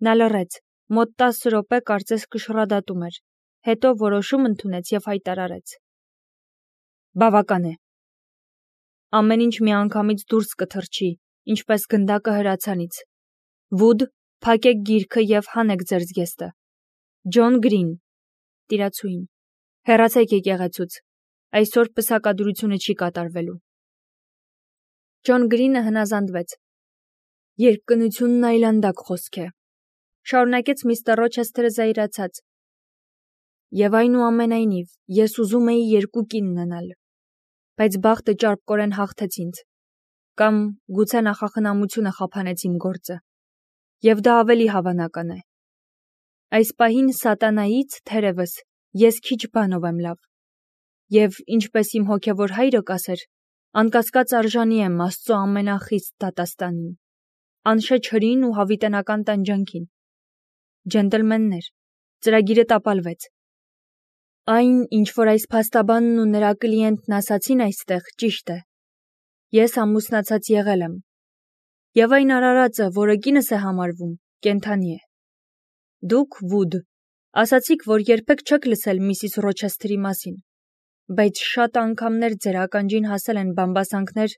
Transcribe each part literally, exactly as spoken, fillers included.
Նա լռեց, մոտ տասը րոպե կարծես կշռադատում էր, հետո որոշում ընդունեց և հայտարարեց. Բավական է։ Ամեն ինչ միանգամից դուրս կթռչի, ինչպես գնդակը հրացանից։ Վուդ, փակեք գիրքը և հանեք ձեր զգեստը։ Ջոն Գրին, տիրացուին, հեռացեք եկեղեցուց, այսօր պսակադրությունը չի կատարվելու։ Ջոն Գրինը հնազանդվեց։ Երկկնությունն այլանդակ խոսք է, շարունակեց միստր Ռոչեսթերը զայրացած։ Եվ այնուամենայնիվ, ես ուզում էի երկու կին ունենալ, բայց բախտը ճարպկորեն հաղթեց ինձ, կամ գուցե նախախնամությունը խափանեց իմ գործը, և դա ավելի հավանական է։ Այս պահին սատանայից, թերևս, ես քիչ բանով եմ լավ, և ինչպես իմ հոգևոր հայրը կասեր, անկասկած արժանի եմ Աստծո ամենախիստ դատաստանին, անշեջ հրին ու հավիտենական տանջանքին։ Ջենտլմեններ, ծրագիրը տապալվեց։ Այն, ինչ որ այս փաստաբանն ու նրա կլիենտն ասացին այստեղ, ճիշտ է։ Ես ամուսնացած եղել եմ, և այն արարածը, որը կինս է համարվում, կենդանի է։ Դուք, Վուդ, ասացիք, որ երբեք չեք լսել միսիս Ռոչեսթերի մասին, բայց շատ անգամներ ձեր ականջին հասել են բամբասանքներ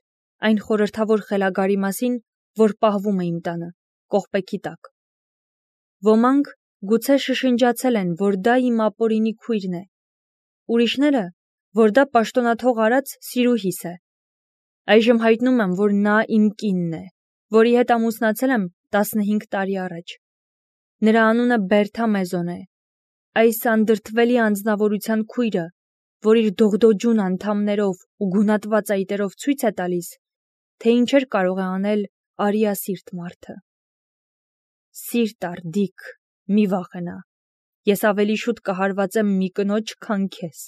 այն խորհրդավոր խելագարի մասին, որ պահվում է իմ տանը, կողպեքի տակ։ Ոմանք գուցե շշնջացել են, որ դա իմ ապօրինի քույրն է, ուրիշները, որ դա պաշտոնաթող արած սիրուհիս է։ Այժմ հայտնում եմ, որ նա իմ կինն է, որի հետ ամուսնացել եմ տասնհինգ տարի առաջ։ Նրա անունը Բերթա Մեզոն է, այս անդրդվելի անձնավորության քույրը, որ իր դողդոջուն անդամներով ու գունատված այտերով ցույց է տալիս, թե ինչեր կարող է անել արիասիրտ մարդը։ Սիրտ առ, Դիք, մի վախենա, ես ավելի շուտ կհարվածեմ մի կնոջ, քան քեզ։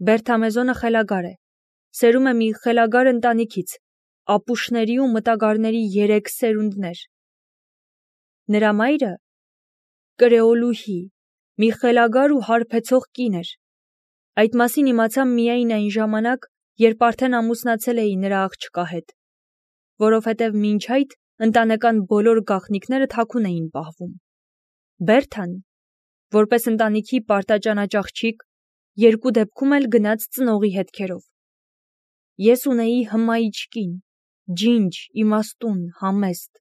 Բերթա Մեզոնը խելագար է, սերում է մի խելագար ընտանիքից, ապուշների ու մտագարների երեք սերունդներ։ Նրա մայրը կրեոլուհի, մի խելագար ու հարբեցող կին էր։ Այդ մասին իմացա միայն այն ժամանակ, երբ արդեն ամուսնացել էի նրա աղջկա հետ, որովհետև մինչ այդ ընտանեկան բոլոր գաղտնիքները թաքուն էին պահվում։ Բերթան, որպես ընտանիքի պարտաճանաչ աղջիկ, երկու դեպքում էլ գնաց ծնողի հետքերով։ Ես ունեի հմայիչ կին, ջինջ, իմաստուն, համեստ։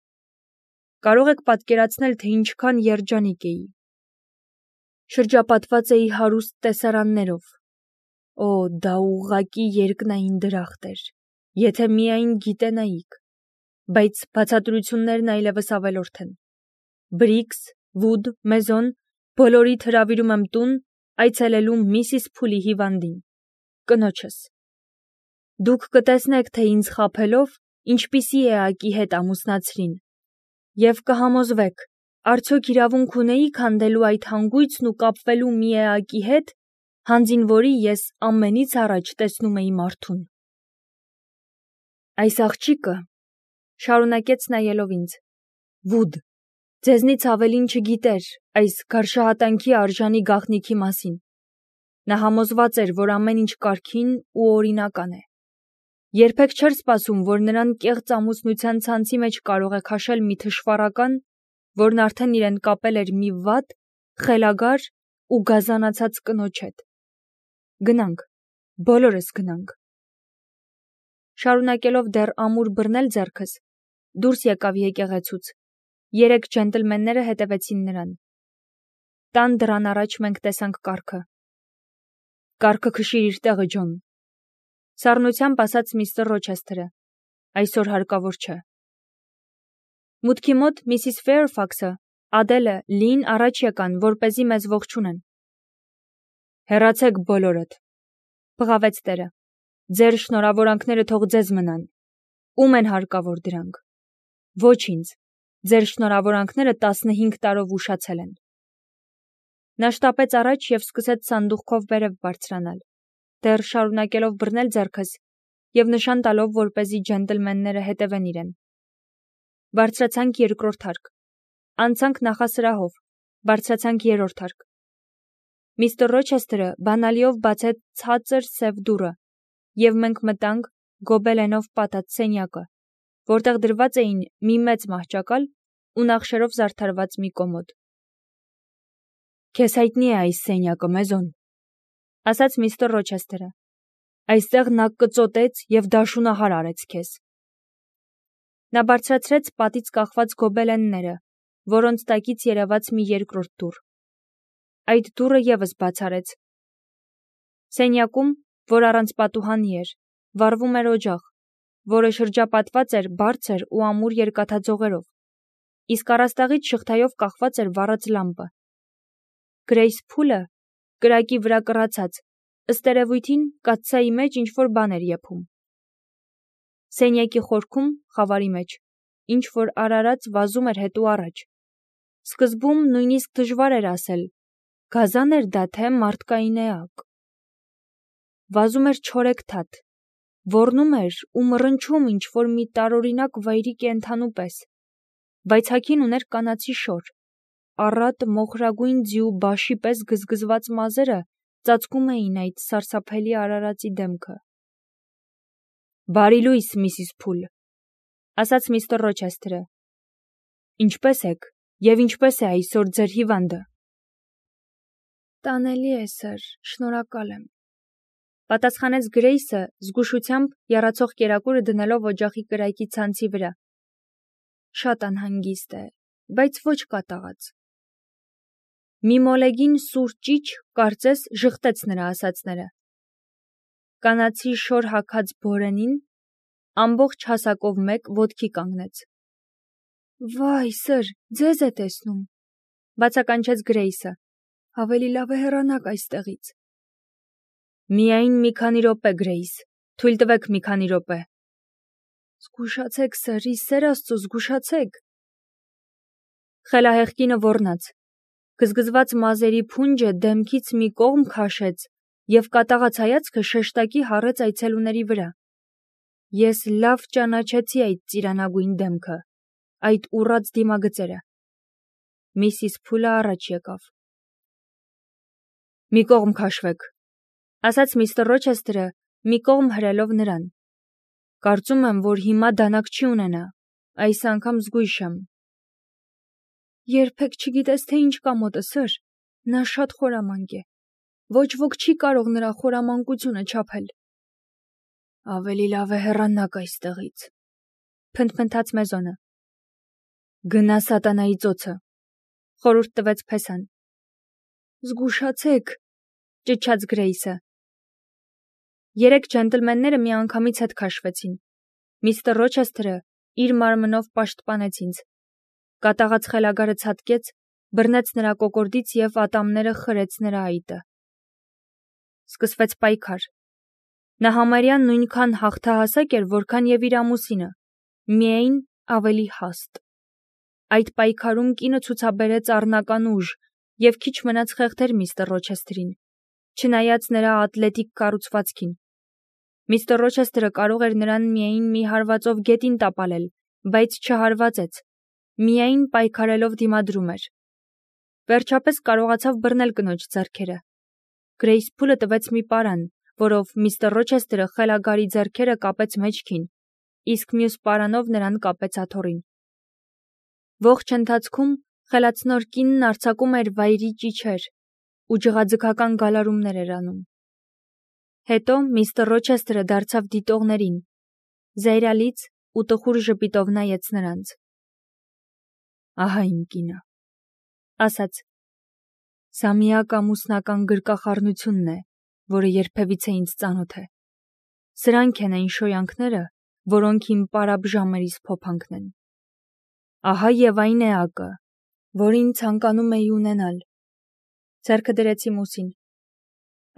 Կարող եք պատկերացնել, թե ինչքան երջանիկ էի։ Շրջապատված էի հարուստ տեսարաններով։ Օ, դա ուղղակի երկնային դրախտ էր, եթե միայն գիտենայիք, բայց բացատրություններն այլևս ավելորդ են։ Բրիքս, Վուդ, Մեզոն, բոլորիդ հրավիրում եմ տուն, այցելելու միսիս Փուլի հիվանդին, կնոջս։ Դուք կտեսնեք, թե ինձ խաբելով ինչպիսի էակի հետ ամուսնացրին, և կհամոզվեք, արդյոք իրավունք ունեիք հանդելու այդ հանգույցն ու կապվելու մի էակի հետ, հանձին որի ես ամենից առաջ տեսնում էի մարդուն։ Այս աղջիկը, շարունակեց նայելով ինձ, Վուդ, ձեզնից ավելին չգիտեր այս գարշահատանքի արժանի գաղտնիքի մասին։ Նա համոզված էր, որ ամեն ինչ կարգին ու օրինական է։ Երբեք չէր սպասում, որ նրան կեղծ ամուսնության ցանցի մեջ կարող է քաշել մի թշվառական, որն արդեն իրեն կապել էր մի վատ, խելագար ու գազանացած կնոջ հետ։ Գնանք, բոլորս գնանք։ Շարունակելով դեռ ամուր բռնել ձեռքս, դուրս եկավ եկեղեցուց։ Երեք ջենտլմենները հետևեցին նրան։ Տան դռան առաջ մենք տեսանք կառքը։ Կառքը քշիր իր տեղը, Ջոն, սառնությամբ ասաց միստր Ռոչեսթերը, այսօր հարկավոր չէ։ Մուտքի մոտ միսիս Ֆեյրֆաքսը, Ադելը, Լին առաջ եկան, որպեսզի մեզ ողջունեն։ Հեռացեք բոլորդ, բղավեց տերը, ձեր շնորհավորանքները թող ձեզ մնան։ Ում են հարկավոր դրանք։ Ոչ ինձ, ձեր շնորհավորանքները տասնհինգ տարով ուշացել են։ Նա շտապեց առաջ և սկսեց սանդուղքով վերև բարձրանալ, դեռ շարունակելով բռնել ձեռքս և նշան տալով, որպեսզի ջենտլմենները հետևեն իրեն։ Բարձրացանք երկրորդ հարկ, անցանք նախասրահով, բարձրացանք երրորդ հարկ։ Միստր Ռոչեսթերը բանալիով բացեց ցածր սև դուռը, և մենք մտանք գոբելենով պատած սենյակը, որտեղ դրված էին մի մեծ մահճակալ ու նախշերով զարդարված մի կոմոդ։ Քեզ հայտնի է այս սենյակը, Մեզոն, ասաց միստր Ռոչեսթերը։ Այստեղ նա կծոտեց և դաշունահար արեց քեզ։ Նա բարձրացրեց պատից կախված գոբելենները, որոնց տակից երևաց մի երկրորդ դուռ։ Այդ դուռը ևս բաց արեց։ Սենյակում, որ առանց պատուհանի էր, վառվում էր օջախ, որը շրջապատված էր բարձր ու ամուր երկաթաձողերով, իսկ առաստաղից շղթայով կախված էր վառած լամպը։ Գրեյս Փուլը, կրակի վրա կռացած, ըստ երևույթին կաթսայի մեջ ինչ-որ բան էր եփում։ Սենյակի խորքում, խավարի մեջ, ինչ-որ արարած վազում էր հետո առաջ։ Սկզբում նույնիսկ դժվար էր ասել, գազան էր դա թե մարդկային էակ։ Վազում էր չորեքթաթ, ոռնում էր ու մռնչում ինչ-որ մի տարօրինակ վայրի կենդանու պես, բայց հագին ուներ կանացի շոր, առատ մոխրագույն ձիու բաշի պես գզգզված մազերը ծածկում էին այդ սարսափելի արարածի դեմքը։ Բարի լույս, Միսիս Փուլ, ասաց միստր Ռոչեսթերը։ Ինչպե՞ս եք և ինչպե՞ս է այսօր ձեր հիվանդը։ Տանելի է, սըր, շնորհակալ եմ, պատասխանեց Գրեյսը զգուշությամբ եռացող կերակուրը դնելով օջախի կրակի ցանցի վրա։ Շատ անհանգիստ է, բայց ոչ կատաղած։ Մի մոլեգին սուր ճիչ, կարծես, ժխտեց նրա ասածները։ Կանացի շոր հագած Բորենին ամբողջ հասակով մեկ ոտքի կանգնեց։ Վայ, սըր, ձեզ է տեսնում, բացականչեց Գրեյսը։ Ավելի լավ է հեռանաք այստեղից։ Միայն մի քանի րոպե, Գրեյս, թույլ տվեք մի քանի րոպե։ Զգուշացեք, սըր, ի սեր Աստծո, զգուշացեք։ Խելահեղ կինը ոռնաց, գզգզված մազերի փունջը դեմքից մի կողմ քաշեց և կատաղած հայացքը շեշտակի հառեց այցելուների վրա։ Ես լավ ճանաչեցի այդ ծիրանագույն դեմքը, այդ ուռած դիմագծերը։ Միսիս Փուլը առաջ եկավ։ Մի կողմ քաշվեք, ասաց միստր Ռոչեսթերը, մի կողմ հրելով նրան։ Կարծում եմ, որ հիմա դանակ չի ունենա, այս անգամ զգույշ եմ։ Երբեք չգիտես, թե ինչ կա մոտը, սըր, նա շատ խորամանկ է, ոչ ոք չի կարող նրա խորամանկությունը չափել։ Ավելի լավ է հեռանաք այստեղից, փնթփնթաց Մեզոնը։ Գնա սատանայի ծոցը, խորհուրդ տվեց Փեսան։ Զգուշացեք, ճչաց Գրեյսը։ Երեք ջենտլմենները միանգամից հետ քաշվեցին։ Միստր Ռոչեսթերը իր մարմնով պաշտպանեց ինձ։ Կատաղած խելագարը ցատկեց, բռնեց նրա կոկորդից և ատամները խրեց նրա այտը։ Սկսվեց պայքար։ Նա համարյա նույնքան հաղթահասակ էր, որքան և իր ամուսինը, միայն ավելի հաստ։ Այդ պայքարում կինը ցուցաբերեց առնական ուժ և քիչ մնաց խեղդեր միստր Ռոչեսթերին, չնայած նրա ատլետիկ կառուցվածքին։ Միստր Ռոչեսթերը կարող էր նրան միայն մի հարվածով գետին տապալել, բայց չհարվածեց, միայն պայքարելով դիմադրում էր։ Վերջապես կարողացավ բռնել կնոջ ձեռքերը։ Գրեյս Փուլը տվեց մի պարան, որով միստր Ռոչեսթերը խելագարի ձեռքերը կապեց մեջքին, իսկ մյուս պարանով նրան կապեց աթոռին։ Ողջ ընթացքում խելացնոր կինն արձակում էր վայրի ճիչեր ու ջղաձգական գալարումներ էր անում։ Հետո միստր Ռոչեսթերը դարձավ դիտողներին, զայրալից ու տխուր ժպիտով նայեց նրանց։ Ահա իմ կինը, ասաց, սա միակ ամուսնական գրկախառնությունն է, որը երբևիցե ինձ ծանոթ է։ Սրանք են այն շոյանքները, որոնք իմ պարապ ժամերիս փոփանքն են։ Ահա և այն էակը, որին ցանկանում էի ունենալ։ Ձեռքը դրեցի մուսին։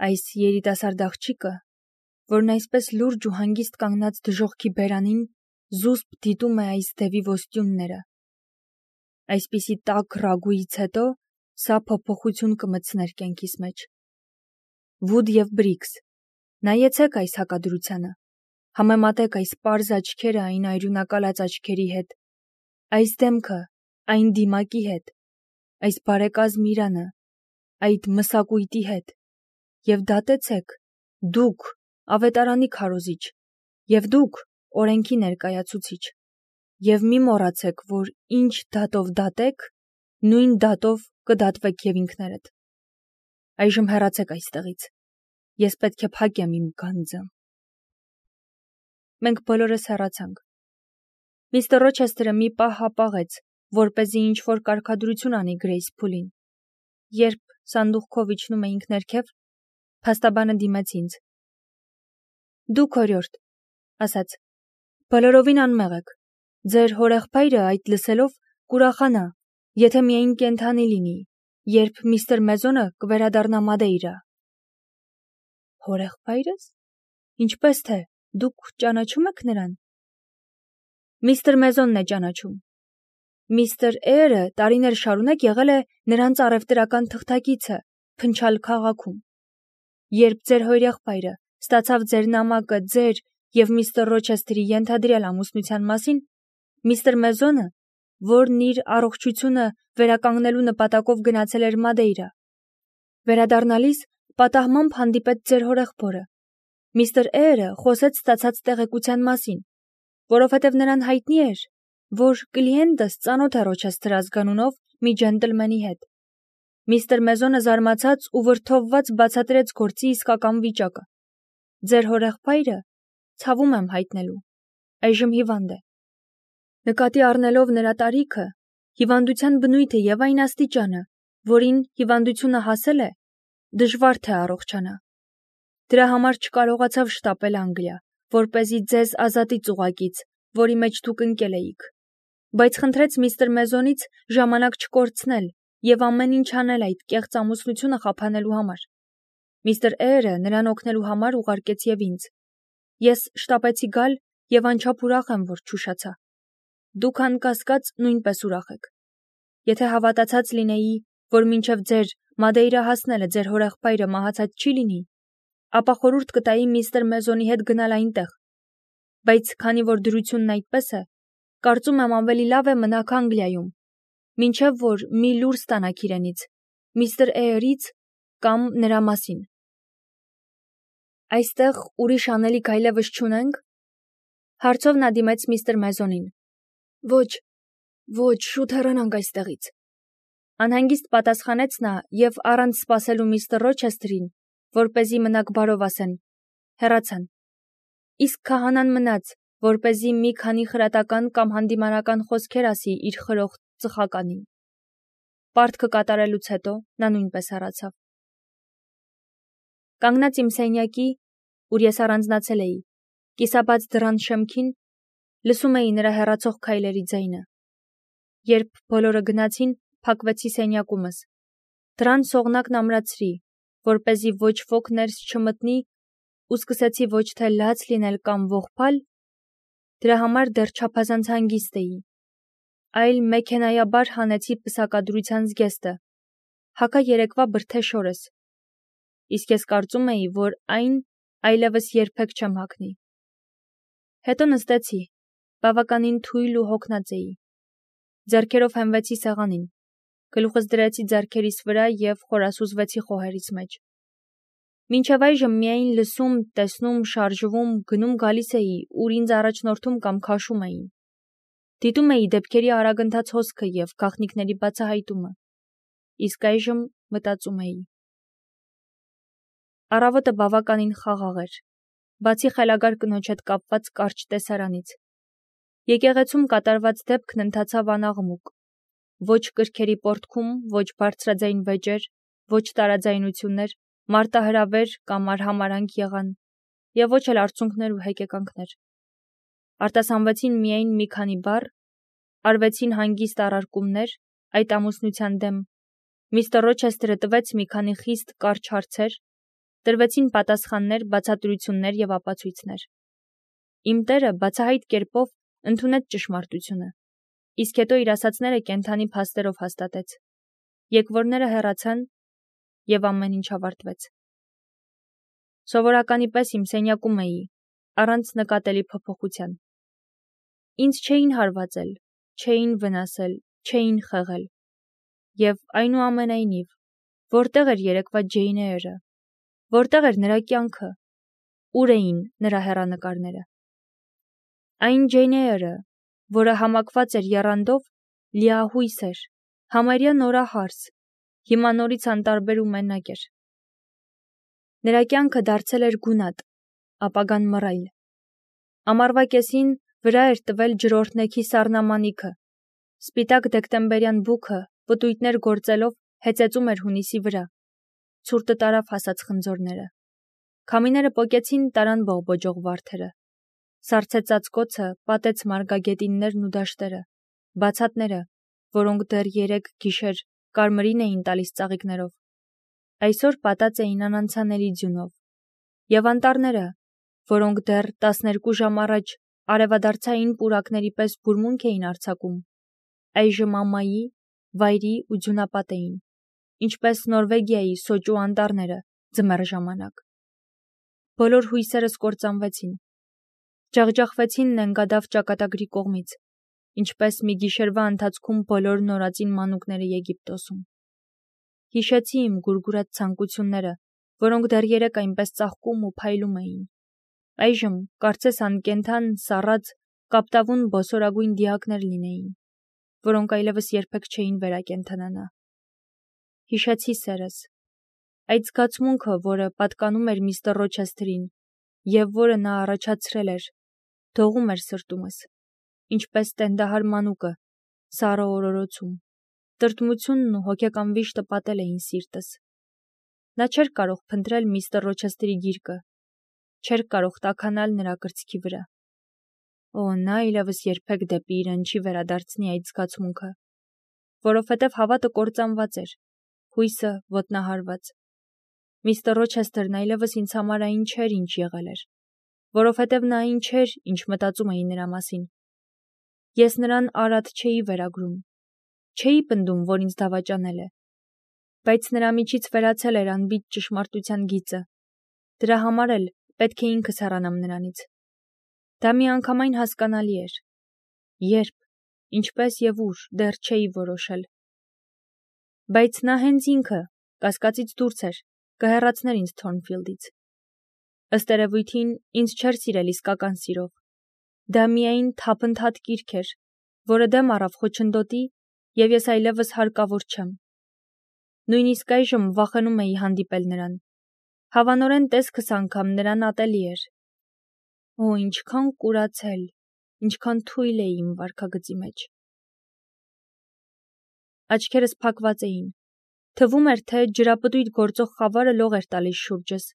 Այս երիտասարդ աղջիկը, որն այսպես լուրջ ու հանգիստ կանգնած դժոխքի բերանին, զուսպ դիտում է այս դևի ոսტյունները։ Այսպիսի տաք ռագուից հետո սա փոփոխություն կմտցներ կյանքիս մեջ։ Վուդ և Բրիգս, նայեցեք այս հակադրությանը, համեմատեք այս պարզ աչքերը այն այրունակալած աչքերի հետ, այս դեմքը այն դիմակի հետ, այս բարեկազմ իրանը այդ մսակույտի հետ, և դատեցեք, դուք ավետարանի քարոզիչ, և դուք օրենքի ներկայացուցիչ, Եվ մի մոռացեք, որ ինչ դատով դատեք, նույն դատով կդատվեք եւ ինքներդ։ Այժմ հեռացեք այստեղից։ Ես պետք է փակեմ իմ գանձը։ Մենք բոլորս հեռացանք։ Միստր Ռոչեսթերը մի պահ հապաղեց, որպեսզի ինչ-որ կարգադրություն անի Գրեյս Փուլին։ Երբ սանդուղքով իջնում էինք ներքև, փաստաբանը դիմեց ինձ։ Դուք օրիորդ, ասաց, բոլորովին անմեղ եք։ Ձեր հորեղբայրը այդ լսելով կուրախանա, եթե միայն կենդանի լինի, երբ միստր Մեզոնը կվերադառնա Մադեյրա։ Հորեղբայրս։ Ինչպես թե, դուք ճանաչում եք նրան։ Միստր Մեզոնն է ճանաչում։ Միստր Էյերը տարիներ շարունակ եղել է նրանց առևտրական թղթակիցը Փնչալ քաղաքում։ Երբ ձեր հորեղբայրը ստացավ ձեր նամակը ձեր եւ միստր Ռոչեսթերի ենթադրյալ ամուսնության մասին, միստր Մեզոնը, որն իր առողջությունը վերականգնելու նպատակով գնացել էր Մադեյրա, վերադառնալիս պատահմամբ հանդիպեց ձեր հորեղբորը։ Միստր Էյերը խոսեց ստացած տեղեկության մասին, որովհետև նրան հայտնի էր, որ կլիենտս ծանոթ է Ռոչեսթեր ազգանունով մի ջենտլմենի հետ։ Միստր Մեզոնը զարմացած ու վրդովված բացատրեց գործի իսկական վիճակը։ Ձեր հորեղբայրը, ցավում եմ հայտնելու, այժմ հիվանդ է։ Նկատի առնելով նրա տարիքը, հիվանդության բնույթը եւ այն աստիճանը, որին հիվանդությունը հասել է, դժվար թե առողջանա։ Դրա համար չկարողացավ շտապել Անգլիա, որպեսզի ձեզ ազատի ծուղակից, որի մեջ դուք ընկել էիք, բայց խնդրեց միստր Մեզոնից ժամանակ չկորցնել եւ ամեն ինչ անել այդ կեղծ ամուսնությունը խափանելու համար։ Միստր Էյերը նրան օգնելու համար ուղարկեց եւ ինձ։ Ես շտապեցի գալ եւ անչափ ուրախ եմ, որ չուշացա։ Դուք անկասկած նույնպես ուրախ եք։ Եթե հավատացած լինեի, որ մինչև ձեր Մադեյրա հասնելը ձեր հորեղբայրը մահացած չի լինի, ապա խորհուրդ կտայի միստր Մեզոնի հետ գնալ այնտեղ։ Բայց քանի որ դրությունն այդպես է, կարծում եմ ավելի լավ է մնաք Անգլիայում, մինչև որ մի լուր ստանաք իրենից, միստր Էյերից կամ նրա մասին։ Այստեղ ուրիշ անելիք այլևս չունենք։ Հարցով նա դիմեց միստր Մեզոնին։ Ոչ, ոչ, շուտ հեռանանք այստեղից։ Անհանգիստ պատասխանեց նա եւ առանց սպասելու միստր Ռոչեսթերին, որպեսզի մնաք բարով ասեն, հեռացան։ Իսկ քահանան մնաց, որպեսզի մի քանի խրատական կամ հանդիմանական խոսքեր ասի իր խրող ծխականին։ Պարտքը կատարելուց հետո նա նույնպես հեռացավ։ Կանգնած իմ սենյակի, ուր ես առանձնացել էի, կիսաբաց դռան շեմքին, լսում էի նրա հեռացող քայլերի ձայնը։ Երբ բոլորը գնացին, փակվեցի սենյակումս։ Դռան սողնակն ամրացրի, որպեսզի ոչ ոք ներս չմտնի, ու սկսեցի ոչ թե լաց լինել կամ ողբալ, դրա համար դեռ չափազանց հանգիստ էի, այլ մեքենայաբար հանեցի պսակադրության զգեստը, հակա երեկվա բրդե շորս, իսկ ես կարծում էի, որ այն այլևս երբեք չեմ հագնի։ Հետո նստեցի, բավականին թույլ ու հոգնած էի։ Ձեռքերով հենվեցի սեղանին, գլուխս դրեցի ձեռքերիս վրա եւ խորասուզվեցի խոհերիս մեջ։ Մինչև այժմ միայն լսում, տեսնում, շարժվում, գնում գալիս էի, ուր ինձ առաջնորդում կամ քաշում էին։ Դիտում էի դեպքերի արագընթաց հոսքը եւ գաղտնիքների բացահայտումը։ Իսկ այժմ մտածում էի։ Առավոտը բավականին խաղաղ էր, բացի խելագար կնոջ հետ կապված կարճ տեսարանից։ Եկեղեցում կատարված դեպքն ընթացավ անաղմուկ։ Ոչ կրքերի պոռթքում, ոչ բարձրաձայն վեճեր, ոչ տարաձայնություններ, մարտահրավեր կամ արհամարանք եղան, եւ ոչ էլ արցունքներ ու հեկեկանքներ։ Արտասանվեցին միայն մի քանի բառ, արվեցին հանգիստ առարկումներ այդ ամուսնության դեմ։ Միստր Ռոչեսթերը տվեց մի քանի խիստ կարճ հարցեր, տրվեցին պատասխաններ, բացատրություններ եւ ապացույցներ։ Իմ տերը բացահայտ կերպով ընդունեց ճշմարտությունը, իսկ հետո իր ասացները կենդանի փաստերով հաստատեց։ Եկվորները հեռացան եւ ամեն ինչ ավարտվեց։ Սովորականի պես իմ սենյակում էի, առանց նկատելի փոփոխության։ Ինձ չէին հարվածել, չէին վնասել, չէին խեղել։ Եվ այնուամենայնիվ, որտեղ էր երեկվա Ջեյն Էյերը, որտեղ էր նրա կյանքը, ուր էին նրա հեռանկարները։ Այն Ջեյն Էյերը, որը համակված էր եռանդով, լիահույս էր, համարյա նորահարս, հիմա նորից անտարբեր ու մենակ էր։ Նրա կյանքը դարձել էր գունատ, ապագան մռայլ։ Ամառվա կեսին վրա էր տվել ջրօրհնեքի սառնամանիքը, սպիտակ դեկտեմբերյան բուքը պտույտներ գործելով հեծեծում էր հունիսի վրա, ցուրտը տարավ հասած խնձորները, քամիները պոկեցին տարան բողբոջող վարդերը, սառցեց ծածկոցը, պատեց մարգագետիններն ու դաշտերը, բացատները, որոնք դեռ երեկ գիշեր կարմրին էին տալիս ծաղիկներով, այսօր պատած էին անանցանելի ձյունով, եւ անտառները, որոնք դեռ տասներկու ժամ առաջ արևադարձային պուրակների պես բուրմունք էին արձակում, այժմ ամայի, վայրի ու ձյունապատ էին, ինչպես Նորվեգիայի սոճու անտառները ձմեռ ժամանակ։ Բոլոր հույսերս կործանվեցին, ջախջախվեցին նենգադավ ճակատագրի կողմից, ինչպես մի գիշերվա ընթացքում բոլոր նորածին մանուկները Եգիպտոսում։ Հիշեցի իմ գուրգուրած ցանկությունները, որոնք դեռ երեկ այնպես ծաղկում ու փայլում էին։ Այժմ կարծես անկենդան, սառած, կապտավուն բոսորագույն դիակներ լինեին, որոնք այլևս երբեք չէին վերակենդանանա։ Հիշեցի սերս, այդ զգացմունքը, որը պատկանում էր միստր Ռոչեսթերին եւ որը նա առաջացրել էր, թողում էր սրտումս, ինչպես տենդահար մանուկը, սառը օրորոցում, տրտմությունն ու հոգեկան վիշտը պատել էին սիրտս։ Նա չէր կարող փնտրել միստր Ռոչեսթերի գիրկը, չէր կարող տաքանալ նրա կրծքի վրա։ Օ, նա այլևս երբեք դեպի իրեն չի վերադարձնի այդ զգացմունքը, որովհետև հավատը կործանված էր, հույսը ոտնահարված։ Միստր Ռոչեսթերն այլևս ինձ համար այն չէր, ինչ եղել էր, որովհետև նա այն չէր, ինչ մտածում էի նրա մասին։ Ես նրան արատ չէի վերագրում, չէի պնդում, որ ինձ դավաճանել է, բայց նրա միջից վերացել էր անբիջ ճշմարտության գիծը, դրա համար էլ պետք է ինքս հեռանամ նրանից։ Դա միանգամայն հասկանալի էր։ Երբ, ինչպես եւ ուր, դեռ չէի որոշել։ Բայց նա հենց ինքը, կասկածից դուրս էր, կհեռացներ ինձ Թորնֆիլդից։ Ըստ երևույթին, ինձ չէր սիրել իսկական սիրով։ Դա միայն թափընթադ կիրք էր, որը դեմ առավ խոչընդոտի, եւ ես այլևս հարկավոր չեմ։ Նույնիսկ այժմ վախենում էի հանդիպել նրան։ Հավանորեն տեսքս անգամ նրան ատելի էր։ Օ, ինչքան կուրացել, ինչքան թույլ էի իմ վարքագծի մեջ։ Աչքերս փակված էին։ Թվում էր, թե ջրապտույտ գործող խավարը լող էր տալիս շուրջս,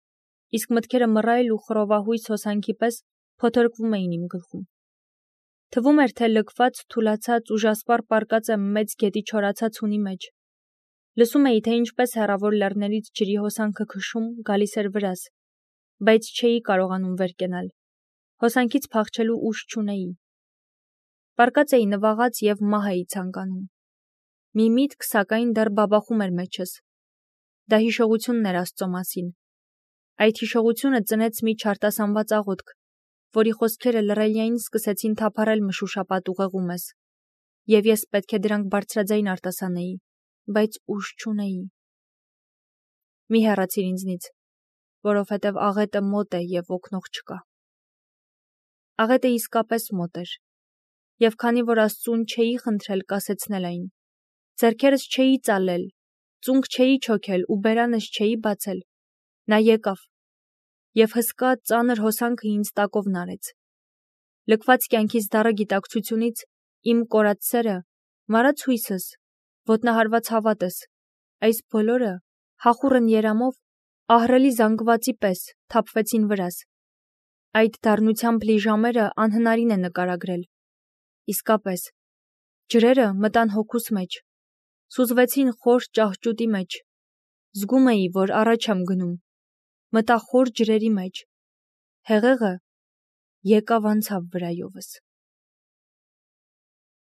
իսկ մտքերը մռայլ ու խռովահույս հոսանքի պես փոթորկվում էին իմ գլխում։ Թվում էր, թե լքված, թուլացած, ուժասպառ պառկած եմ մեծ գետի չորացած հունի մեջ։ Լսում էի, թե ինչպես հեռավոր լեռներից ջրի հոսանքը քշում, գալիս էր վրաս, բայց չէի կարողանում վեր կենալ։ Հոսանքից փախչելու ուժ չունեի։ Պառկած էի նվաղած եւ մահ էի ցանկանում։ Մի միտք, սակայն, դեռ բաբախում էր մեջս։ Դա հիշողությունն էր Աստծո մասին։ Այդ հիշողությունը ծնեց մի չարտասանված աղոթք, որի խոսքերը լռելիային սկսեցին թափառել մշուշապատ ուղեղումս, եւ ես պետք է դրանք բարձրաձայն արտասանեի, բայց ուժ չունեի։ Մի հեռացիր ինձնից, որովհետև աղետը մոտ է եւ օգնող չկա։ Աղետը իսկապես մոտ էր, եւ քանի որ Աստծուն չէի խնդրել կասեցնել այն, ձեռքերս չէի ծալել, ծունկ չէի չոքել ու բերանս չէի բացել, նա եկավ, եւ հսկա ծանր հոսանքը ինձ տակով նարեց։ Լքված կյանքից դառը գիտակցությունից իմ կորած սերը, մարած հույսս, ոտնահարված հավատս, այս բոլորը հախուռն երամով ահռելի զանգվածի պես թափվեցին վրաս։ Այդ դառնությամբ լի ժամերը անհնարին է նկարագրել։ Իսկապես, ջրերը մտան հոգուս մեջ, սուզվեցին խոր ճահճուտի մեջ։ Զգում էի, որ առաջ եմ գնում, մտա խոր ջրերի մեջ։ Հեղեղը եկավ անցավ վրայովս։